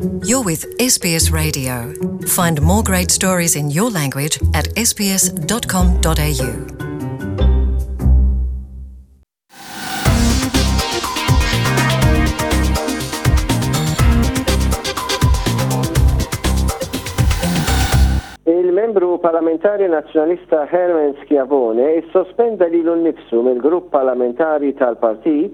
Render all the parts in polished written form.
You're with SBS Radio. Find more great stories in your language at sbs.com.au. Il-membru parlamentari Nazzjonalista Herman Schiavone issospenda lilu nnifsu mill-grupp parlamentari tal-partit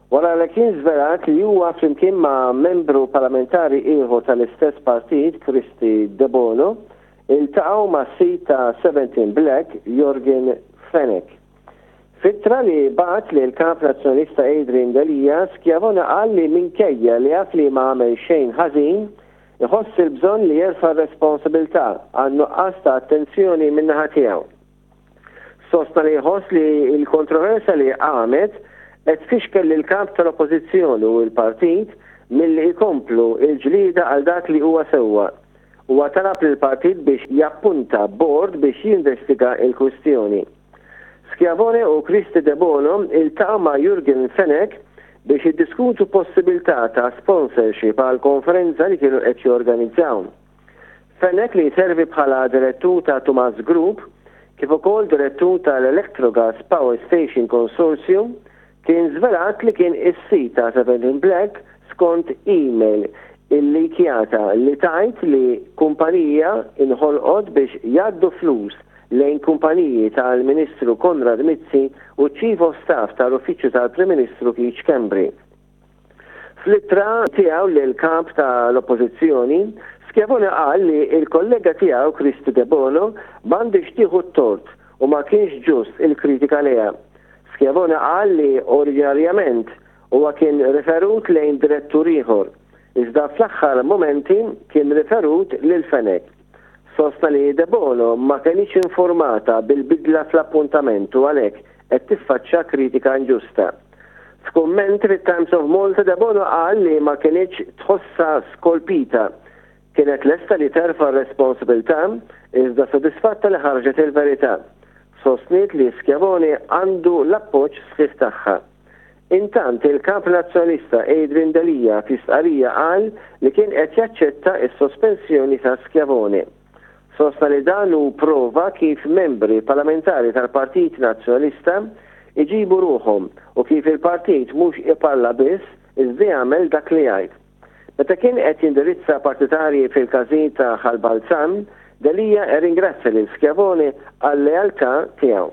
wara li kien żvelat li huwa flimkien ma' membru parlamentari ieħor tal-istess partit Kristy Debono iltaqgħu mas-sid ta' 17 Black Yorgen Fenech. F'ittra li bagħat lill-Kap Nazzjonalista Adrian Delia, Schiavone qal li minkejja li jaf li ma għamel xejn ħażin, iħoss il-bżonn li jerfa' r-responsabilità għan-nuqqas ta' attenzjoni min-naħa tiegħu. Sostna li jħoss li l-kontroversja li qamet qed tfixkel lill-Kap tal-Oppożizzjoni u l-Partit milli jkomplu l-ġlieda għal dak li huwa sewwa. Huwa talab lill-Partit biex jappunta bord biex jinvestiga l-kwistjoni. Schiavone u Kristy Debono iltaqgħu ma' Jurgen Fenech biex jiddiskutu possibilità ta' sponsorship għal konferenza li kienu qed jorganizzaw. Fenech li jservi bħala direttur ta' Tumas Group kif ukoll direttur tal-Electrogas Power Station Consortium kien żvelat li kien is-sid ta' 17 Black skont email illikjata li tgħid li kumpanija inħolqot biex jgħaddu flus lejn kumpaniji tal-Ministru Konrad Mizzi u ċ-Chief of Staff tal-Uffiċċju tal-Prim Ministru Keith Schembri. Fl-ittra tiegħu lill-Kap tal-Oppożizzjoni, Schiavone qal li l-kollega tiegħu Kristy Debono m'għandhiex tieħu t-tort u ma kienx ġust il-kritika lejha. Schiavone qal li oriġinarjament huwa kien riferut lejn direttur ieħor, iżda fl-aħħar mumenti kien riferut lil Fenech. Sostna li Debono ma kenitx informata bil-bidla fl-appuntament u għalhekk qed tiffaċċja kritika inġusta. F'kumment fit-Times of Malta Debono qal li ma kinitx tħossha skolpita. Kienet lesta li terfa' r-responsabilità iżda sodisfatta li ħarġet il-verità. Sostniet li Schiavone għandu l-appoġġ sħiħ tagħha. Intant, il-Kap Nazzjonalista Adrian Delia fi stqarrija qal li kien qed jaċċetta s-sospensjoni ta' Schiavone. Sostna li dan hu prova kif membri parlamentari tal-Partit Nazzjonalista jġibu ruħhom u kif il-partit mhux iparla biss iżda jagħmel dak li jgħid. Meta kien qed jindirizza partitarji fil-każin ta' Ħal Balzan, Delia rringrazzja lil Schiavone għal-lealtà tiegħu.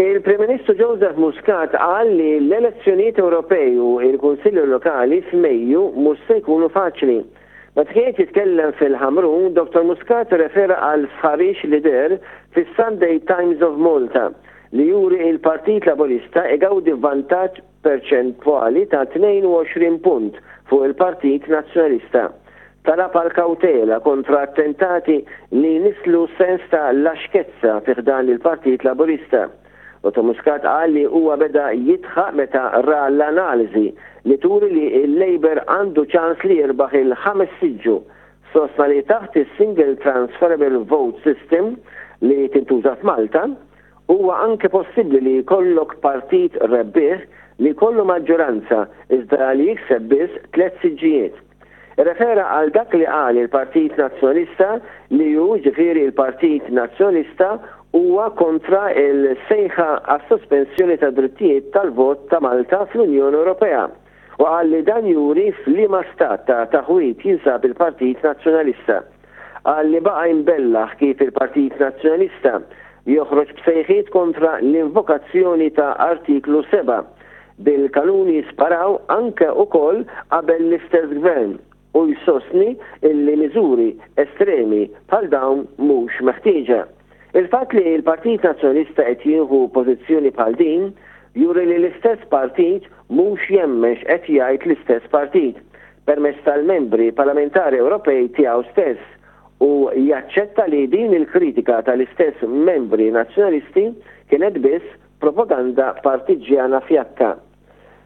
Il-Prim Ministru Joseph Muscat qal li l-elezzjonijiet Ewropej u l-Kunsilli Lokali f'Mejju mhux se jkunu faċli. Meta kien qed jitkellem fil-Ħamrun, Dottor Muscat irrefera għal sħarix li deher fis-Sunday Times of Malta li juri il-Partit Laburista igawdi vantaġġ perċentwali ta' 22 punt fuq il-Partit Nazzjonalista. Talab għal kawtela kontra attentati li jnisslu sens ta' laxkezza fi ħdan il-Partit Laburista. Dottor Muscat qal li huwa beda jidħaq meta ra l-analiżi li turi li l-Labour għandu ċans li jirbaħ il-ħames siġġu. Sostna li taħt is-Single Transferable Vote System li tintuża f'Malta, Huwa anke possibbli li jkollok partit rebbieħ li jkollu maġġoranza iżda li jikseb biss tlett siġġijiet. Irrefera għal dak li qal il-Partit Nazzjonalista li hu, jiġifieri l-Partit Nazzjonalista, huwa kontra l-sejħa għas-sospensjoni tad-drittijiet tal-vot ta' Malta fl-Unjoni Ewropea u qal li dan juri f'liema stat ta' taħwid jinsab il-Partit Nazzjonalista. Qal li baqa' jbellaħ kif il-Partit Nazzjonalista joħroġ b'sejħiet kontra l-invokazzjoni ta' Artiklu 7, bil-kanuni jisparaw anke ukoll qabel l-istess Gvern u jsostni illi miżuri estremi bħal dawn mhux meħtieġa. Il-fatt li l-Partit Nazzjonalista qed jieħu pożizzjoni bħal din juri li l-istess partit mhux jemmen x'qed jgħid l-istess partit permezz tal-membri parlamentari Ewropej tiegħu stess u jaċċetta li din il-kritika tal-istess membri Nazzjonalisti kienet biss propaganda partiġġjana fjakka.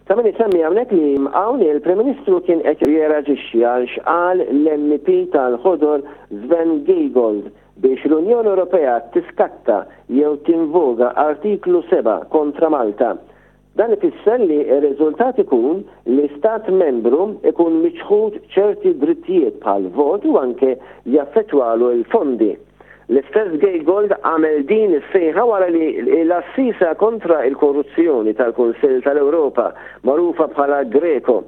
Ta' min isemmi hawnhekk li hawn il-Prim Ministru kien qed jirreaġixxi għal x'qal l-MEP tal-Ħodor Sven Giegold biex l-Unjoni Ewropea tiskatta jew tinvoga Artiklu 7 kontra Malta. Dan ifisser li r-riżultat ikun li stat membru ikun miċħud ċerti drittijiet bħal vot u anke jaffettwalu l-fondi. L-istess Giegold għamel din is-sejħa wara li l-għassiesa kontra l-korruzzjoni tal-Kunsill tal-Ewropa, magħrufa bħala Greco,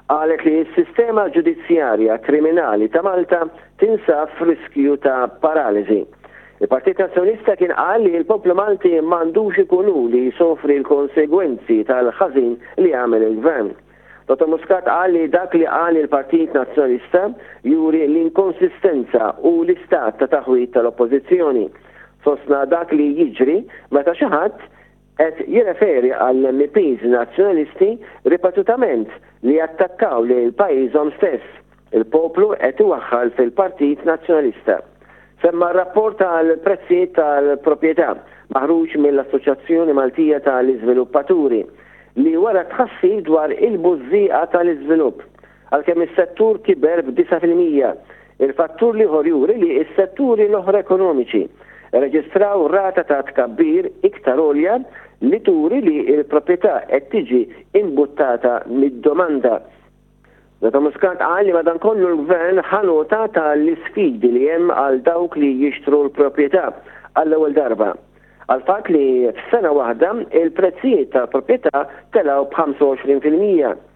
qalet li s-sistema ġudizzjarja kriminali ta' Malta tinsab f'riskju ta' paraliżi. Il-Partit Nazzjonalista kien qal li l-poplu Malti m'għandux ikun hu li jsofri l-konsegwenzi tal-ħażin li għamel il-Gvern. Dottor Muscat qal li dak li qal il-Partit Nazzjonalista juri l-inkonsistenza u l-istat ta' taħwid tal-Oppożizzjoni. Sostna dak li jiġri meta xi ħadd qed jirreferi għall-MEPs Nazzjonalisti ripetutament li attakkaw lil pajjiżhom stess. Il-poplu qed iwaħħal fil-Partit Nazzjonalista. Semma r-rapport tal-prezzijiet tal-proprjetà maħruġ mill-Assoċjazzjoni Maltija tal-Iżviluppaturi li wera tħassib dwar il-bużżieqa tal-iżvilupp. Għalkemm is-settur kiber b'9%, il-fattur l-ieħor juri li s-setturi l-oħra ekonomiċi rreġistraw rata ta' tkabbir iktar għolja li turi li l-proprjetà qed tiġi imbuttata mid-domanda. Dottor Muscat qal li madankollu l-Gvern ħa nota ta' l-isfidi li hemm għal dawk li jixtru l-proprjetà għall-ewwel darba. Għall-fatt li f'sena waħda il-prezzijiet tal-proprjetà telgħu b'25%.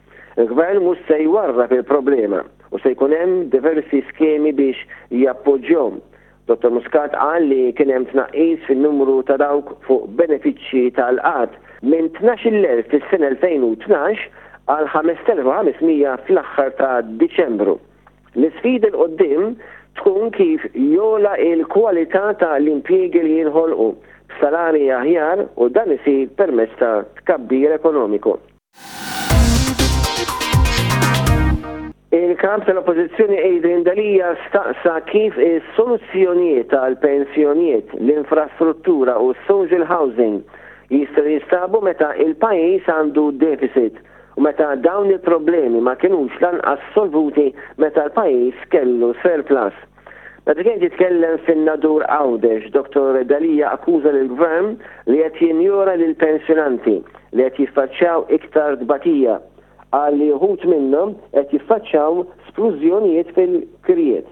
Il-Gvern mhux se jwarrab il-problema u se jkun hemm diversi skemi biex jappoġġjhom. Dottor Muscat qal li kien hemm tnaqqis fin-numru ta' dawk fuq benefiċċji tal-qgħad minn 12,000 fis-sena 2012 għal 5,500 fl-aħħar ta' Diċembru. L-isfida 'l quddiem tkun kif jogħla l-kwalità ta' l-impjiegi li jinħolqu b'salarji aħjar u dan isir permezz ta' tkabbir ekonomiku. Il-Kap tal-Oppożizzjoni Adrian Delia staqsa kif is-soluzzjonijiet għall-pensjonijiet, l-infrastruttura u s-social housing jistgħu jinstabu meta il-pajjiż għandu deficit u meta dawn il-problemi ma kinux lanqas solvuti meta l-pajjiż kellu surplus. Meta kien qed jitkellem fin-Nadur Għawdex, Dottor Delia akkuża lill-Gvern li qed jinjora lill-pensjonanti li qed jiffaċċjaw iktar tbatija. Qal li uħud minnhom qed jiffaċċjaw splużjonijiet fil-kirjiet.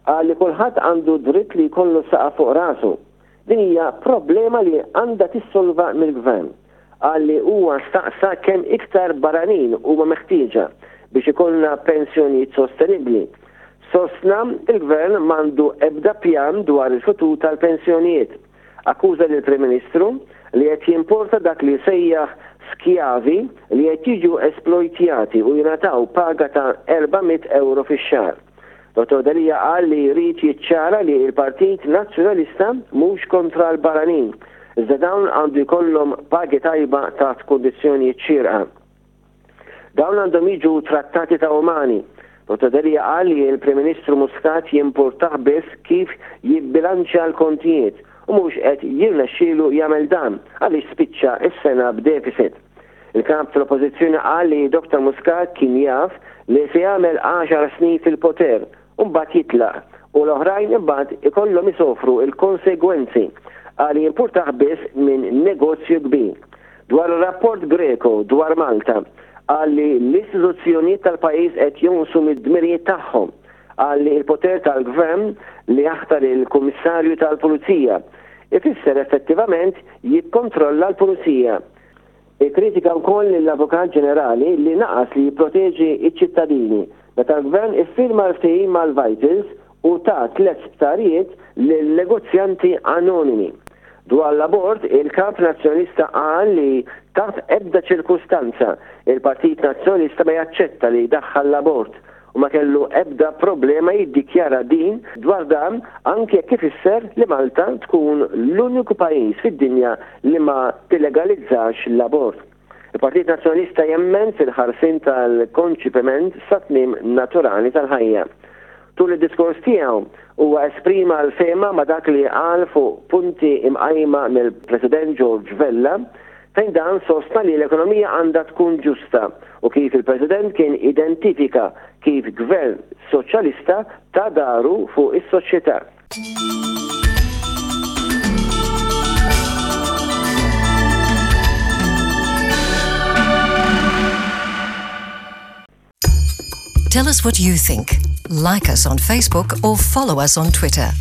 Qal li kulħadd għandu dritt li jkollu saqaf fuq rasu. Din hija problema li għandha tissolva mill-Gvern. Qal li huwa staqsa kemm iktar barranin huma meħtieġa biex ikollna pensjonijiet sostenibbli. Sostna il-Gvern m'għandu ebda pjan dwar il-futur tal-pensjonijiet. Akkuża lill-Prim Ministru li qed jimporta dak li sejjaħ skjavi li qed jiġu esplojtjati u jingħataw paga ta' 400 ewro fix-xahar. Dottor Delia qal li jrid jiċċara li l-Partit Nazzjonalista mhux kontra l-barranin, iżda dawn għandu jkollhom pagi tajba taħt kundizzjonijiet xierqa. Dawn għandhom jiġu trattati ta' umani. Dottor Delia qal li l-Prim Ministru Muscat jimpurtah biss kif jibbilanċja l-kontijiet u mhux qed jirnexxielu jagħmel dan għaliex spiċċa s-sena b'deficit. Il-Kap tal-Oppożizzjoni qal li Dr Muscat kien jaf li se jagħmel għaxar snin fil-poter u mbagħad jitlaq u l-oħrajn imbagħad ikollhom isofru l-konsegwenzi. Qal li jimpurtah biss minn negozju kbir. Dwar ir-rapport Greco dwar Malta, qal li l-istituzzjonijiet tal-pajjiż qed jonqsu mid-dmirijiet tagħhom. Qal li l-poter tal-Gvern li jaħtar il-Kummissarju tal-Pulizija ifisser effettivament jikkontrolla l-Pulizija. Ikkritika wkoll lill-Avukat Ġenerali li naqas li jipproteġi ċ-ċittadini meta l-Gvern iffirma l-ftehim mal-Vitals u ta tliet sptarijiet lil negozjanti anonimi. Dwar l-abort, il-Kap Nazzjonalista qal li taħt ebda ċirkustanza il-Partit Nazzjonalista ma jaċċetta li jdaħħal l-abort u ma kellu ebda problema jiddikjara din dwar dan anki jekk ifisser li Malta tkun l-uniku pajjiż fid-dinja li ma tillegalizzax l-abort. Il-Partit Nazzjonalista jemmen fil-ħarsien tal-konċipiment sat-tmiem naturali tal-ħajja. Tul id-diskors tiegħu huwa esprima l-fehma ma' dak li qal fuq punti imqajma mill-President George Vella fejn dan sostna li l-ekonomija għandha tkun ġusta u kif il-President kien identifika kif Gvern Soċjalista ta daru fuq is-soċjetà. Tell us what you think. Like us on Facebook or follow us on Twitter.